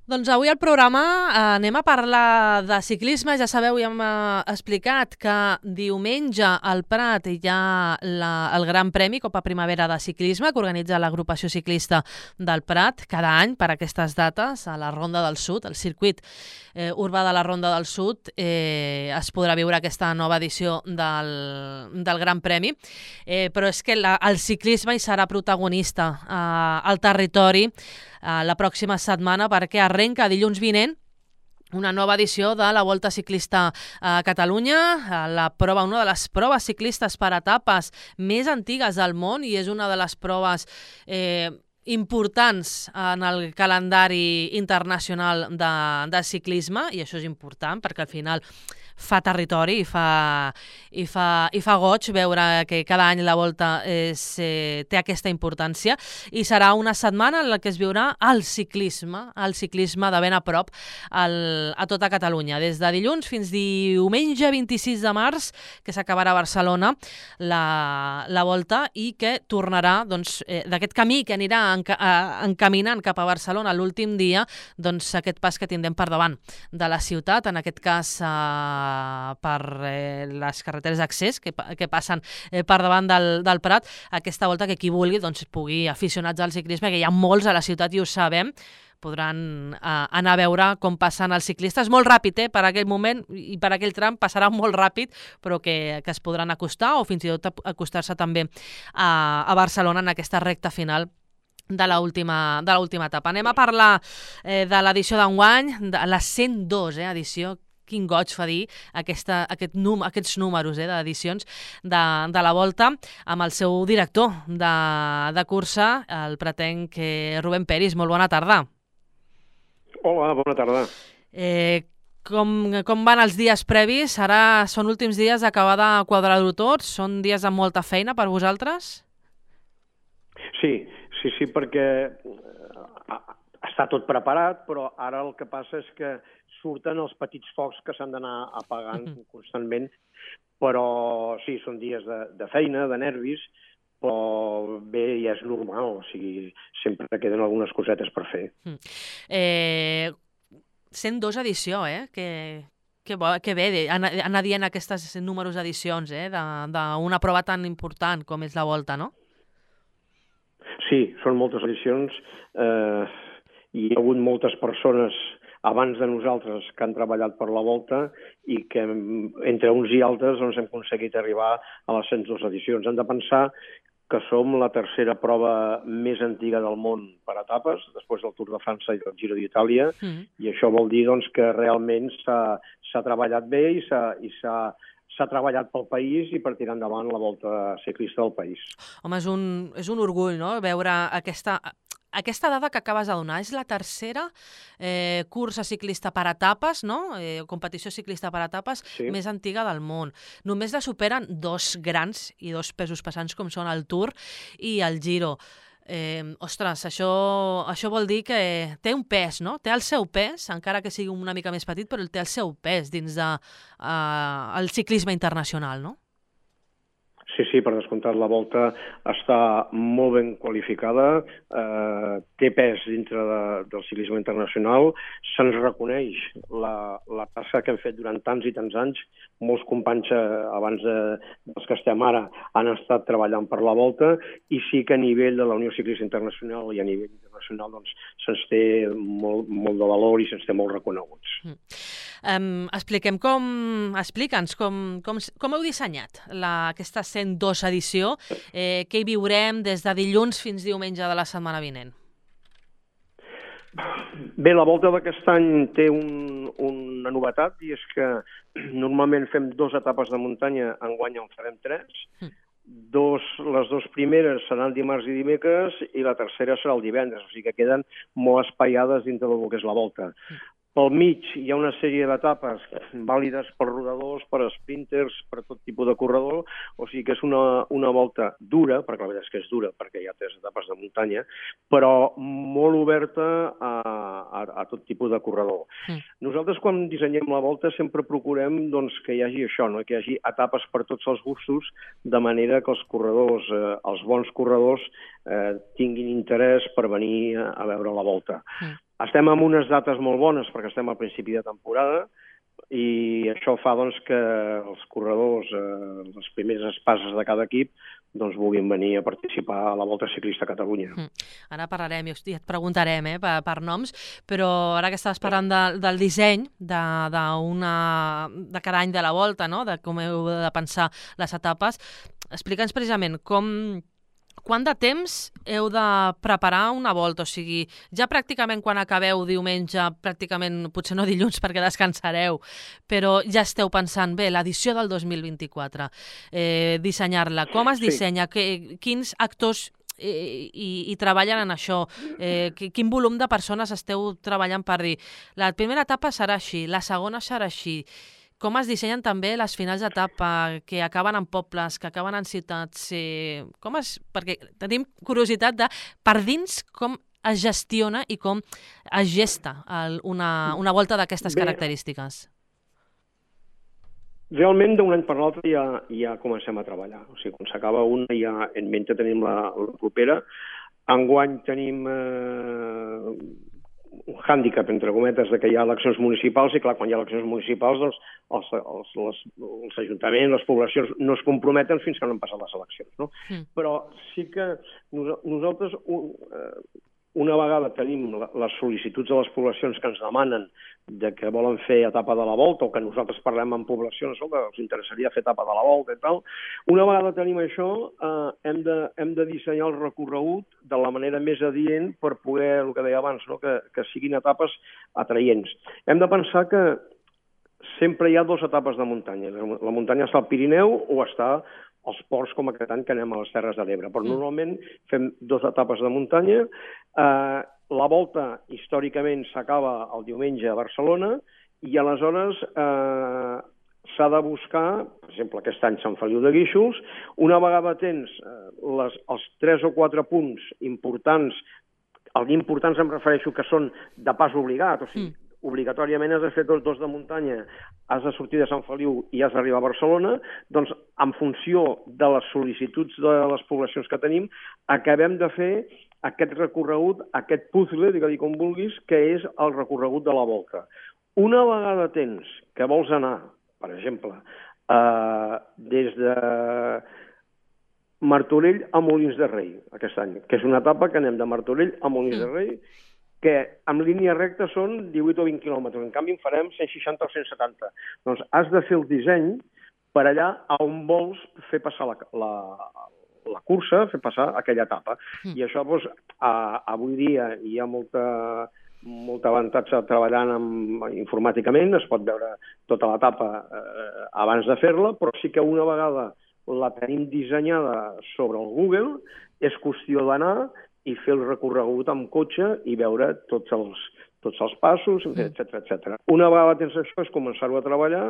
Doncs avui al programa anem a parlar de ciclisme. Ja sabeu, ja hem explicat que diumenge al Prat hi ha el Gran Premi Copa Primavera de Ciclisme que organitza l'agrupació ciclista del Prat cada any per aquestes dates a la Ronda del Sud, el circuit urbà de la Ronda del Sud. Es podrà viure aquesta nova edició del Gran Premi, però és que el ciclisme hi serà protagonista al territori la pròxima setmana, perquè arrenca dilluns vinent una nova edició de la Volta Ciclista a Catalunya, una de les proves ciclistes per etapes més antigues del món, i és una de les proves importants en el calendari internacional de ciclisme, i això és important perquè al final fa territori i fa goig veure que cada any la Volta té aquesta importància, i serà una setmana en la que es viurà el ciclisme de ben a prop a tota Catalunya, des de dilluns fins diumenge 26 de març, que s'acabarà a Barcelona la Volta, i que tornarà d'aquest camí que anirà encaminant cap a Barcelona l'últim dia, doncs aquest pas que tindrem per davant de la ciutat, en aquest cas per les carreteres d'accés que passen per davant del Prat. Aquesta Volta que qui vulgui pugui, aficionats al ciclisme, que hi ha molts a la ciutat i ho sabem, podran anar a veure com passen els ciclistes. Molt ràpid, per aquell moment i per aquell tram passarà molt ràpid, però que es podran acostar o fins i tot acostar-se també a Barcelona en aquesta recta final de l'última etapa. Anem a parlar de l'edició d'enguany, de la 102 edició. Quin goig fa dir aquests números d'edicions de la Volta, amb el seu director de cursa, el pratenc Rubén Peris. Molt bona tarda. Hola, bona tarda. Com van els dies previs? Ara són últims dies d'acabar de quadrar-ho tot? Són dies amb molta feina per vosaltres? Sí, perquè està tot preparat, però ara el que passa és que surten els petits focs que s'han d'anar apagant constantment, però sí, són dies de feina, de nervis, però bé, ja és normal, o sigui, sempre queden algunes cosetes per fer. 102 edició, que bé anar dient aquests números d'edicions d'una prova tan important com és la Volta, no? Sí, són moltes edicions, hi ha hagut moltes persones abans de nosaltres que han treballat per la Volta i que entre uns i altres hem aconseguit arribar a les 102 edicions. Hem de pensar que som la tercera prova més antiga del món per etapes, després del Tour de França i del Giro d'Itàlia, i això vol dir que realment s'ha treballat bé i s'ha treballat pel país i per tirar endavant la Volta Ciclista del país. Home, és un orgull, no?, veure aquesta dada que acabes de donar. És la tercera cursa ciclista per etapes, no?, competició ciclista per etapes més antiga del món. Només la superen dos grans i dos pesos pesants com són el Tour i el Giro. Ostres, això vol dir que té un pes, no? Té el seu pes, encara que sigui una mica més petit, però té el seu pes dins del ciclisme internacional, no? Sí, per descomptat, la Volta està molt ben qualificada, té pes dintre del ciclisme internacional, se'ns reconeix la tasca que hem fet durant tants i tants anys. Molts companys abans dels que estem ara han estat treballant per la Volta, i sí que a nivell de la Unió Ciclista Internacional i a nivell internacional se'ns té molt de valor i se'ns té molt reconeguts. Explica'ns com heu dissenyat aquesta 102 edició, què hi viurem des de dilluns fins diumenge de la setmana vinent. Bé, la Volta d'aquest any té una novetat, i és que normalment fem 2 etapes de muntanya, enguany en farem 3. Les 2 primeres seran dimarts i dimecres i la tercera serà el divendres, o sigui que queden molt espaiades dintre del que és la Volta. Pel mig hi ha una sèrie d'etapes vàlides per rodadors, per sprinters, per tot tipus de corredor, o sigui que és una volta dura, perquè la veritat és que és dura, perquè hi ha 3 etapes de muntanya, però molt oberta a tot tipus de corredor. Nosaltres, quan dissenyem la volta, sempre procurem que hi hagi això, que hi hagi etapes per tots els gustos, de manera que els corredors, els bons corredors, tinguin interès per venir a veure la volta. estem en unes dates molt bones perquè estem al principi de temporada i això fa doncs, que els corredors, les primeres espases de cada equip, doncs, vulguin venir a participar a la Volta Ciclista a Catalunya. Ara parlarem i et preguntarem per noms, però ara que estaves parlant del disseny de cada any de la Volta, no? De com heu de pensar les etapes, explica'ns precisament quant de temps heu de preparar una volta? O sigui, ja pràcticament quan acabeu diumenge, pràcticament, potser no dilluns perquè descansareu, però ja esteu pensant, bé, l'edició del 2024, dissenyar-la, com es dissenya, quins actors i treballen en això, quin volum de persones esteu treballant per dir, la primera etapa serà així, la segona serà així, com es dissenyen també les finals d'etapa, que acaben en pobles, que acaben en ciutats, perquè tenim curiositat de per dins com es gestiona i com es gesta una volta d'aquestes característiques. Realment, d'un any per l'altre ja comencem a treballar. O sigui, quan s'acaba una ja en mente tenim la propera. Enguany tenim un hàndicap, entre cometes, que hi ha eleccions municipals i, clar, quan hi ha eleccions municipals, doncs, els ajuntaments, les poblacions, no es comprometen fins que no han passat les eleccions, no? Però sí que nosaltres, una vegada tenim les sol·licituds de les poblacions que ens demanen de que volen fer etapa de la Volta o que nosaltres parlem amb poblacions que els interessaria fer etapa de la Volta i tal, una vegada tenim això, hem de dissenyar el recorregut de la manera més adient per poder, el que deia abans, no? que siguin etapes atraients. Hem de pensar que sempre hi ha dues etapes de muntanya. La muntanya està al Pirineu o està als ports com aquest any que anem a les Terres de l'Ebre. Però normalment fem dues etapes de muntanya. La volta, històricament, s'acaba el diumenge a Barcelona i aleshores s'ha de buscar, per exemple, aquest any Sant Feliu de Guíxols, una vegada tens els 3 o 4 punts importants, els importants em refereixo que són de pas obligat, o sigui, obligatòriament has de fer tots dos de muntanya, has de sortir de Sant Feliu i has d'arribar a Barcelona, doncs en funció de les sol·licituds de les poblacions que tenim, acabem de fer aquest recorregut, aquest puzzle, digue-li com vulguis, que és el recorregut de la Volta. Una vegada tens que vols anar, per exemple, des de Martorell a Molins de Rei, aquest any, que és una etapa que anem de Martorell a Molins de Rei, que en línia recta són 18 o 20 quilòmetres, en canvi en farem 160 o 170. Doncs has de fer el disseny per allà on vols fer passar la cursa, fer passar aquella etapa. I això, doncs, avui dia hi ha molt avantatge treballant informàticament, es pot veure tota l'etapa abans de fer-la, però sí que una vegada la tenim dissenyada sobre el Google, és qüestió d'anar i fer el recorregut amb cotxe i veure tots els passos, etc. Una vegada tens això és començar-ho a treballar,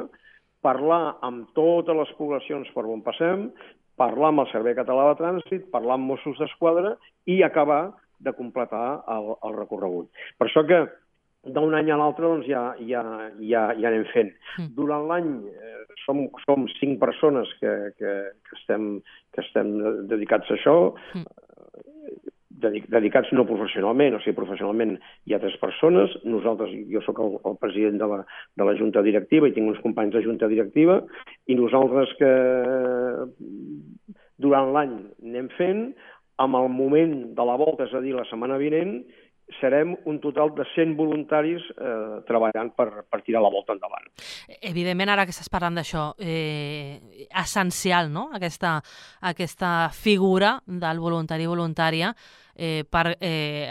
parlar amb totes les poblacions per on passem, parlar amb el Servei Català de Trànsit, parlar amb Mossos d'Esquadra i acabar de completar el recorregut. Per això que d'un any a l'altre doncs, ja anem fent. Durant l'any som 5 persones que estem dedicats a això, dedicats no professionalment, o sigui, professionalment hi ha 3 persones, nosaltres, jo sóc el president de la Junta Directiva i tinc uns companys de Junta Directiva, i nosaltres que durant l'any anem fent, amb el moment de la volta, és a dir, la setmana vinent, serem un total de 100 voluntaris treballant per tirar la volta endavant. Evidentment, ara que estàs parlant d'això, essencial, no?, aquesta figura del voluntari i voluntària per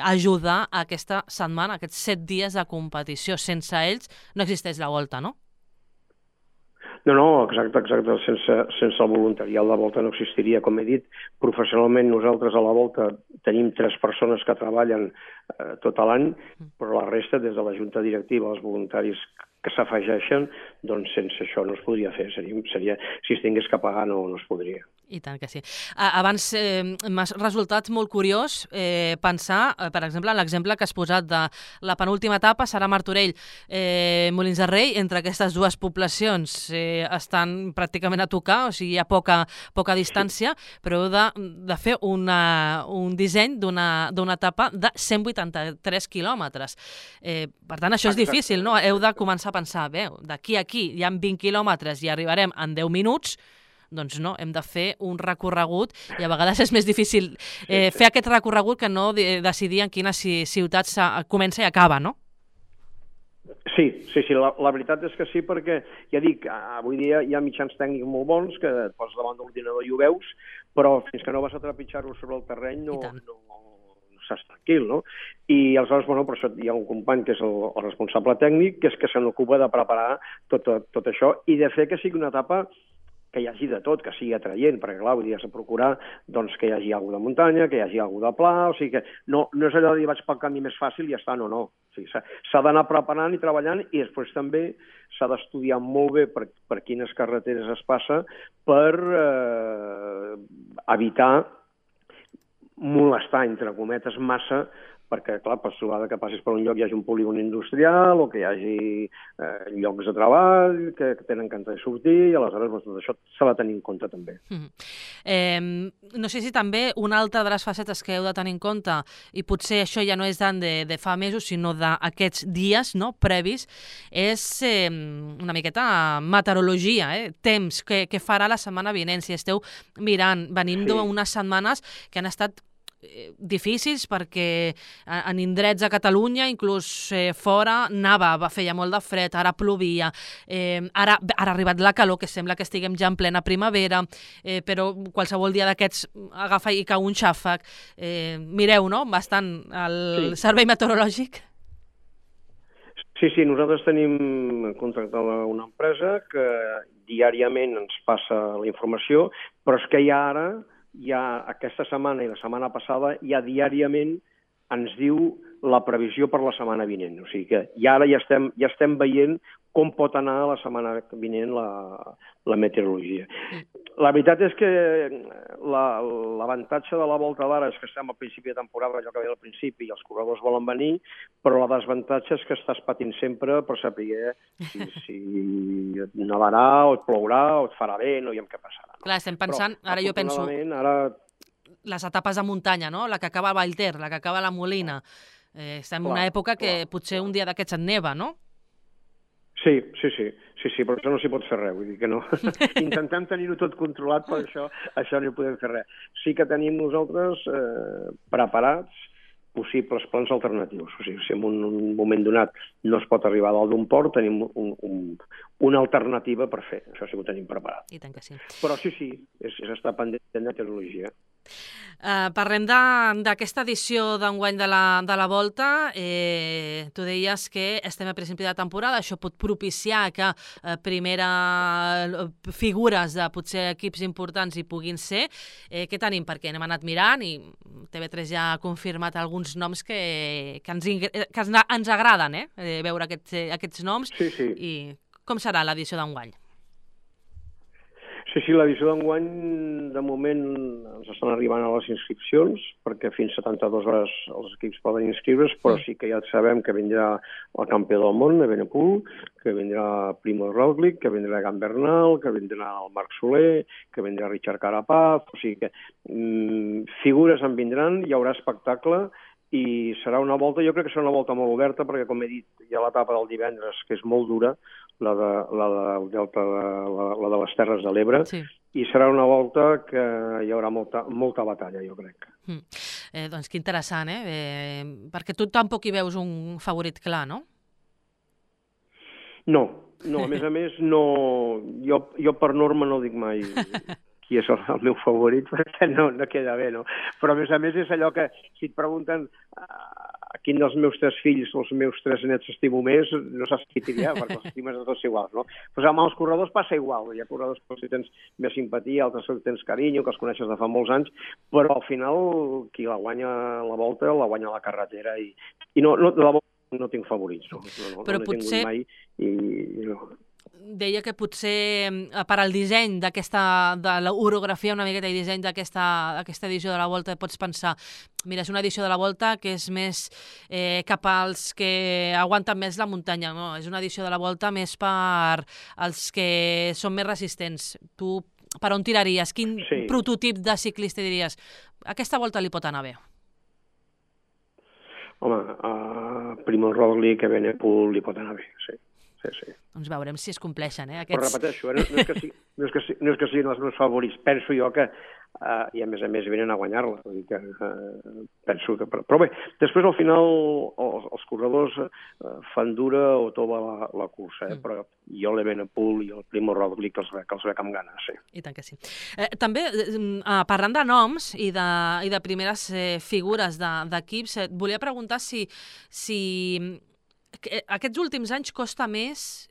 ajudar a aquesta setmana, aquests 7 dies de competició. Sense ells no existeix la volta, no? No, exacte. Sense el voluntariat la volta no existiria. Com he dit, professionalment nosaltres a la volta tenim 3 persones que treballen tot l'any, però la resta, des de la Junta Directiva, els voluntaris que s'afegeixen, doncs sense això no es podria fer. Si es tingués que pagar no es podria. I tant que sí. Abans m'ha resultat molt curiós pensar, per exemple, en l'exemple que has posat de la penúltima etapa serà Martorell. Molins de Rei, entre aquestes dues poblacions estan pràcticament a tocar, o sigui, hi ha poca distància, però heu de fer un disseny d'una etapa de 183 quilòmetres. Per tant, això és difícil, no? Heu de començar a pensar, bé, d'aquí a aquí hi ha 20 quilòmetres i arribarem en 10 minuts, doncs no, hem de fer un recorregut i a vegades és més difícil fer aquest recorregut que no decidir en quines ciutats comença i acaba, no? Sí, la veritat és que sí, perquè, ja dic, avui dia hi ha mitjans tècnics molt bons que et poses davant de l'ordinador i ho veus, però fins que no vas a trepitjar-ho sobre el terreny no estàs tranquil, no? I aleshores, bueno, per això hi ha un company que és el responsable tècnic, que és que se n'ocupa de preparar tot això i de fer que sigui una etapa que hi hagi de tot, que sigui atraient, perquè clar, vull dir, has de procurar doncs, que hi hagi alguna de muntanya, que hi hagi alguna de pla, o sigui que no és allò de dir vaig pel camí més fàcil i ja està, no. O sigui, s'ha d'anar preparant i treballant i després també s'ha d'estudiar molt bé per quines carreteres es passa per evitar molestar, entre cometes, massa, perquè, clar, pots trobar que passis per un lloc i hi hagi un polígon industrial o que hi hagi llocs de treball que tenen que entrar i sortir, i aleshores doncs, tot això s'ha de tenir en compte també. No sé si també una altra de les facetes que heu de tenir en compte, i potser això ja no és tant de fa mesos, sinó d'aquests dies previs, és una miqueta meteorologia, temps, què farà la setmana vinent. Si esteu mirant, venim d'unes setmanes que han estat difícils perquè en indrets a Catalunya, inclús fora, feia molt de fred, ara plovia, ara ha arribat la calor, que sembla que estiguem ja en plena primavera, però qualsevol dia d'aquests agafa i cau un xàfec. Mireu, no?, bastant el servei meteorològic. Sí, nosaltres tenim contractada una empresa que diàriament ens passa la informació, però és que aquesta setmana i la setmana passada ja diàriament ens diu la previsió per la setmana vinent. O sigui que ara ja estem veient com pot anar la setmana vinent la meteorologia. La veritat és que l'avantatge de la volta d'ara és que estem al principi de temporada, allò que ve al principi, i els corredors volen venir, però la desavantatge és que estàs patint sempre per saber si nevarà o et plourà o et farà vent o què passarà. Clar, estem pensant, ara jo penso, les etapes de muntanya, no? La que acaba a Vallter, la que acaba a la Molina. Estem en una època que potser un dia d'aquests et neva, no? Sí, però això no s'hi pot fer res, vull dir que no. Intentem tenir-ho tot controlat, però això no hi podem fer res. Sí que tenim nosaltres preparats possibles plans alternatius. O sigui, si en un moment donat no es pot arribar a dalt d'un port, tenim una alternativa per fer. Això sí que ho tenim preparat. I tant que sí. Però sí, és estar pendent de meteorologia. Parlem d'aquesta edició d'enguany de la Volta. Tu deies que estem a principi de temporada, això pot propiciar que figures de potser equips importants hi puguin ser. Què tenim? Perquè hem anat mirant i TV3 ja ha confirmat alguns noms que ens agraden, veure aquests noms. Sí. I com serà l'edició d'enguany? Sí, l'edició d'enguany, de moment, ens estan arribant a les inscripcions, perquè fins a 72 hores els equips poden inscriure's, però sí que ja sabem que vindrà el campió del món, Evenepoel, que vindrà Primož Roglič, que vindrà Egan Bernal, que vindrà el Marc Soler, que vindrà Richard Carapaz, o sigui que figures en vindran, hi haurà espectacle, i serà una volta, jo crec que serà una volta molt oberta, perquè, com he dit, hi ha l'etapa del divendres, que és molt dura, la de les Terres de l'Ebre, i serà una volta que hi haurà molta batalla, jo crec. Doncs que interessant, perquè tu tampoc hi veus un favorit clar, no? No, a més, no, jo per norma no dic mai qui és el meu favorit, perquè no queda bé, no? Però a més és allò que, si et pregunten a quin dels meus 3 fills o els meus 3 nets estimo més, no saps qui triar, perquè els estimes de tots iguals, no? Doncs amb els corredors passa igual, hi ha corredors que si tens més simpatia, altres que tens carinyo, que els coneixes de fa molts anys, però al final qui la guanya la volta, la guanya la carretera, i no, de la volta no tinc favorits, no. Però potser... mai, i no. deia que potser per al disseny de l'orografia una miqueta i disseny d'aquesta edició de la Volta pots pensar, mira, és una edició de la Volta que és més cap als que aguanten més la muntanya, no? És una edició de la Volta més per als que són més resistents. Tu per on tiraries? Quin prototip de ciclista diries? Aquesta Volta li pot anar bé. Home, Primož Roglič, Evenepoel li pot anar bé, sí. Doncs veurem si es compleixen, Però repeteixo, no és que siguin els meus favorits. Penso jo que, i a més venen a guanyar-la. Penso que... Però bé, després al final els corredors fan dura o tova la cursa, però jo l'Evenepoel i el Primož Roglič que els veig amb ganes, sí. I tant que sí. També, parlant de noms i de primeres figures d'equips, et volia preguntar si aquests últims anys costa més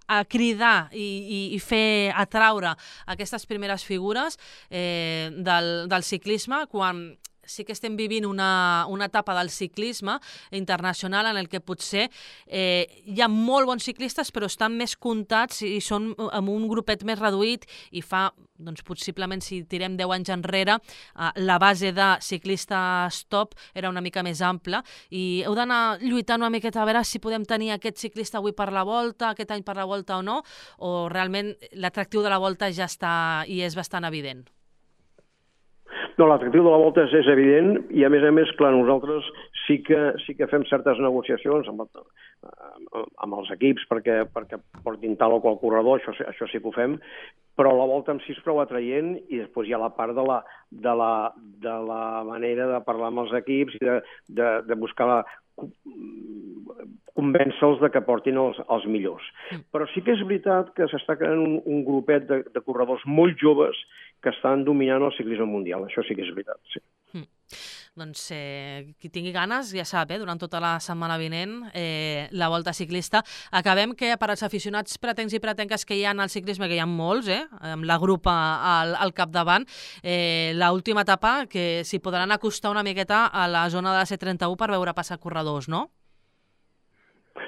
a cridar i fer atraure aquestes primeres figures del ciclisme, quan sí que estem vivint una etapa del ciclisme internacional en el que potser hi ha molt bons ciclistes però estan més comptats i són amb un grupet més reduït i fa, doncs possiblement si tirem 10 anys enrere, la base de ciclistes top era una mica més ampla i heu d'anar lluitant una miqueta a veure si podem tenir aquest ciclista avui per la Volta, aquest any per la Volta o no, o realment l'atractiu de la Volta ja està i és bastant evident. No, l'atractiu de la Volta és evident i, a més, clar, nosaltres sí que fem certes negociacions amb els equips perquè portin tal o qual corredor, això sí que ho fem, però la Volta en si és prou atraient i després hi ha la part de la manera de parlar amb els equips i de buscar convèncer-los que portin els millors. Però sí que és veritat que s'està creant un grupet de corredors molt joves que estan dominant el ciclisme mundial. Això sí que és veritat, sí. Doncs qui tingui ganes, ja sap, durant tota la setmana vinent, la Volta Ciclista. Acabem que per als aficionats pretencs i pretenques que hi ha al ciclisme, que hi ha molts, amb la grupa al capdavant, l'última etapa que s'hi podran acostar una miqueta a la zona de la C31 per veure passar corredors, no?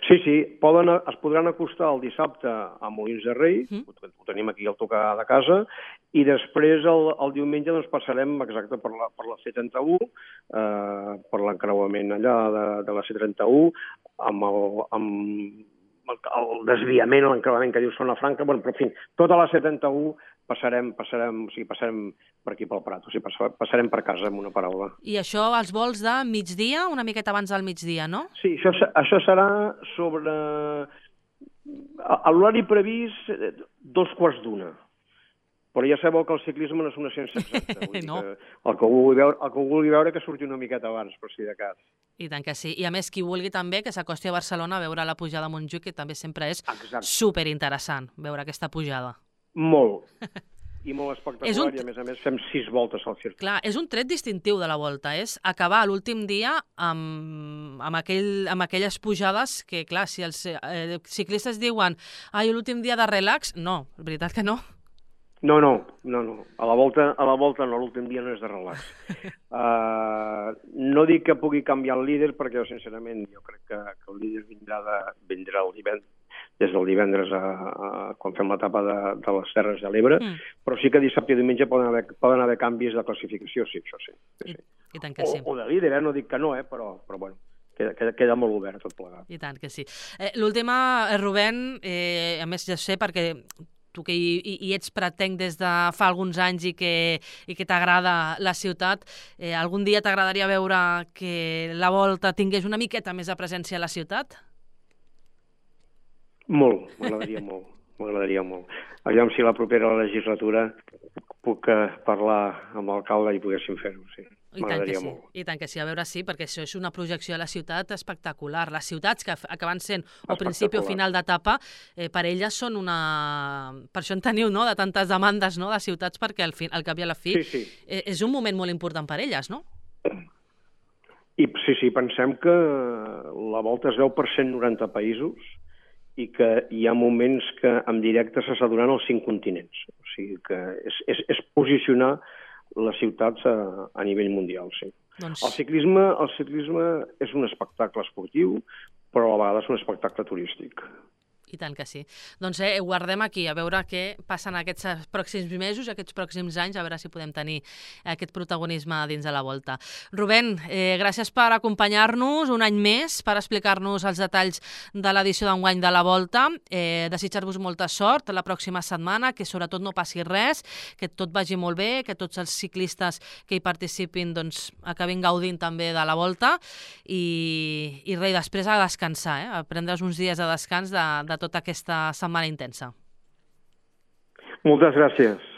Sí, es podran acostar el dissabte a Molins de Rei, ho tenim aquí al tocar de casa, i després el diumenge doncs, passarem exacte per la C31, per l'encreuament allà de la C31, amb el desviament, l'encreuament que diu Zona Franca, però en fi, tota la C31 passarem per aquí pel Prat, o sigui, passarem per casa, amb una paraula. I això, els vols de migdia, una miqueta abans del migdia, no? Sí, això serà sobre... A l'horari previst, 2:15. Però ja sabeu que el ciclisme no és una ciència exacta. No. El que vulgui veure que surti una miqueta abans, per si de cas. I tant que sí. I a més, qui vulgui també que s'acosti a Barcelona a veure la pujada a Montjuïc, que també sempre és superinteressant veure aquesta pujada. Molt. I molt espectacular, i a més fem 6 voltes al circuit. Clar, és un tret distintiu de la Volta, és acabar l'últim dia amb aquelles pujades que, clar, si els ciclistes diuen l'últim dia de relax, no, és veritat que no. No. A la volta no, l'últim dia no és de relax. No dic que pugui canviar el líder, perquè sincerament jo crec que el líder vindrà el divendres, des del divendres quan fem l'etapa de les Terres de l'Ebre, però sí que dissabte i diumenge poden haver canvis de classificació, sí, això sí. I tant que sí. O de líder, no dic que no, però bueno, queda molt obert tot plegat. I tant que sí. L'última, Rubén, a més ja sé perquè tu que hi ets pretenc des de fa alguns anys i que t'agrada la ciutat, algun dia t'agradaria veure que la Volta tingués una miqueta més de presència a la ciutat? Molt, m'agradaria molt. Aviam si la propera legislatura puc parlar amb l'alcalde i poguéssim fer-ho, sí. M'agradaria molt. I tant que sí, a veure sí, perquè això és una projecció de la ciutat espectacular. Les ciutats que acaben sent o principi o final d'etapa, per elles són una... Per això en teniu, no?, de tantes demandes, no?, de ciutats, perquè al cap i a la fi és un moment molt important per elles, no? I sí, pensem que la Volta es veu per 190 països i que hi ha moments que en directe s'està donant als 5 continents. O sigui que és posicionar les ciutats a nivell mundial, sí. El ciclisme és un espectacle esportiu, però a vegades un espectacle turístic. I tant que sí. Doncs ho guardem aquí, a veure què passa en aquests pròxims mesos, aquests pròxims anys, a veure si podem tenir aquest protagonisme dins de la Volta. Rubén, gràcies per acompanyar-nos un any més, per explicar-nos els detalls de l'edició d'enguany de la Volta. Desitjar-vos molta sort la pròxima setmana, que sobretot no passi res, que tot vagi molt bé, que tots els ciclistes que hi participin doncs, acabin gaudint també de la Volta i res, després a descansar, a prendre's uns dies de descans de tota aquesta setmana intensa. Moltes gràcies.